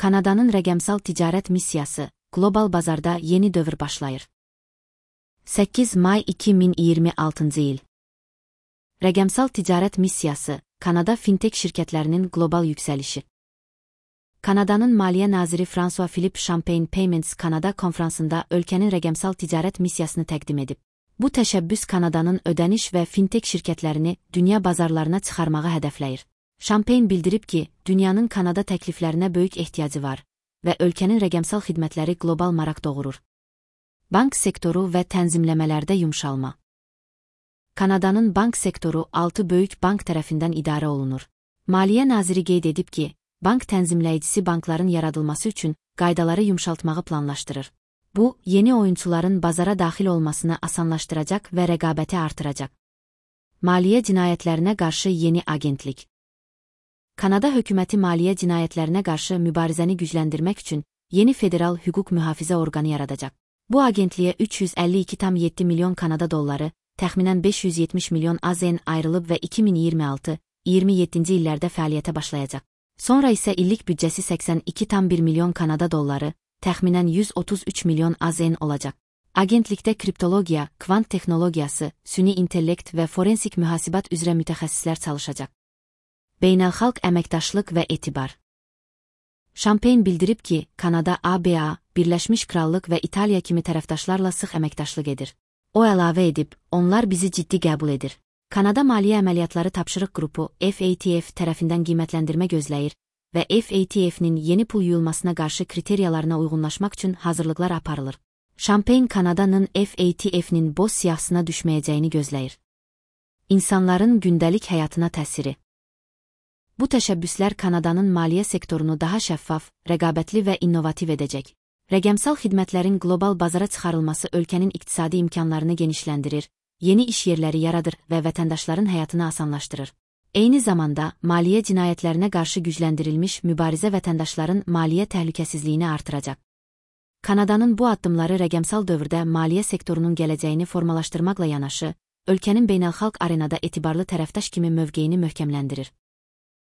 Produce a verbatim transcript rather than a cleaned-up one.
Kanadanın rəqəmsal ticarət missiyası, qlobal bazarda yeni dövr başlayır. səkkiz may iki min iyirmi altıncı il. Rəqəmsal ticarət missiyası, Kanada fintech şirkətlərinin qlobal yüksəlişi. Kanadanın Maliyyə naziri François Philippe Champagne Payments Kanada konfransında ölkənin rəqəmsal ticarət missiyasını təqdim edib. Bu təşəbbüs Kanadanın ödəniş və fintech şirkətlərini dünya bazarlarına çıxarmağı hədəfləyir. Champagne bildirib ki, dünyanın Kanada təkliflərinə böyük ehtiyacı var və ölkənin rəqəmsal xidmətləri qlobal maraq doğurur. Bank sektoru və tənzimləmələrdə yumşalma. Kanadanın bank sektoru altı böyük bank tərəfindən idarə olunur. Maliyyə naziri qeyd edib ki, bank tənzimləyicisi bankların yaradılması üçün qaydaları yumşaltmağı planlaşdırır. Bu, yeni oyunçuların bazara daxil olmasını asanlaşdıracaq və rəqabəti artıracaq. Maliyyə cinayətlərinə qarşı yeni agentlik. Kanada hökuməti maliyyə cinayətlərinə qarşı mübarizəni gücləndirmək üçün yeni federal hüquq mühafizə orqanı yaradacaq. Bu agentliyə üç yüz əlli iki tam yeddi milyon Kanada dolları, təxminən beş yüz yetmiş milyon A Z N ayrılıb və iki min iyirmi altı iyirmi yeddinci illərdə fəaliyyətə başlayacaq. Sonra isə illik büdcəsi səksən iki tam bir milyon Kanada dolları, təxminən yüz otuz üç milyon A Z N olacaq. Agentlikdə kriptologiya, kvant texnologiyası, süni intellekt və forensik mühasibat üzrə mütəxəssislər çalışacaq. Beynəlxalq əməkdaşlıq və etibar. Champagne bildirib ki, Kanada A B A, Birləşmiş Krallıq və İtaliya kimi tərəfdaşlarla sıx əməkdaşlıq edir. O əlavə edib, onlar bizi ciddi qəbul edir. Kanada Maliyyə Əməliyyatları Tapşırıq Qrupu F A T F tərəfindən qiymətləndirmə gözləyir və F A T F'nin yeni pul yuyulmasına qarşı kriteriyalarına uyğunlaşmaq üçün hazırlıqlar aparılır. Champagne Kanadanın F A T F'nin boz siyahısına düşməyəcəyini gözləyir. İnsanların gündəlik həyatına təsiri. Bu təşəbbüslər Kanadanın maliyyə sektorunu daha şəffaf, rəqabətli və innovativ edəcək. Rəqəmsal xidmətlərin qlobal bazara çıxarılması ölkənin iqtisadi imkanlarını genişləndirir, yeni iş yerləri yaradır və vətəndaşların həyatını asanlaşdırır. Eyni zamanda, maliyyə cinayətlərinə qarşı gücləndirilmiş mübarizə vətəndaşların maliyyə təhlükəsizliyini artıracaq. Kanadanın bu addımları rəqəmsal dövrdə maliyyə sektorunun gələcəyini formalaşdırmaqla yanaşı, ölkənin beynəlxalq arenada etibarlı tərəfdaş kimi mövqeyini möhkəmləndirir.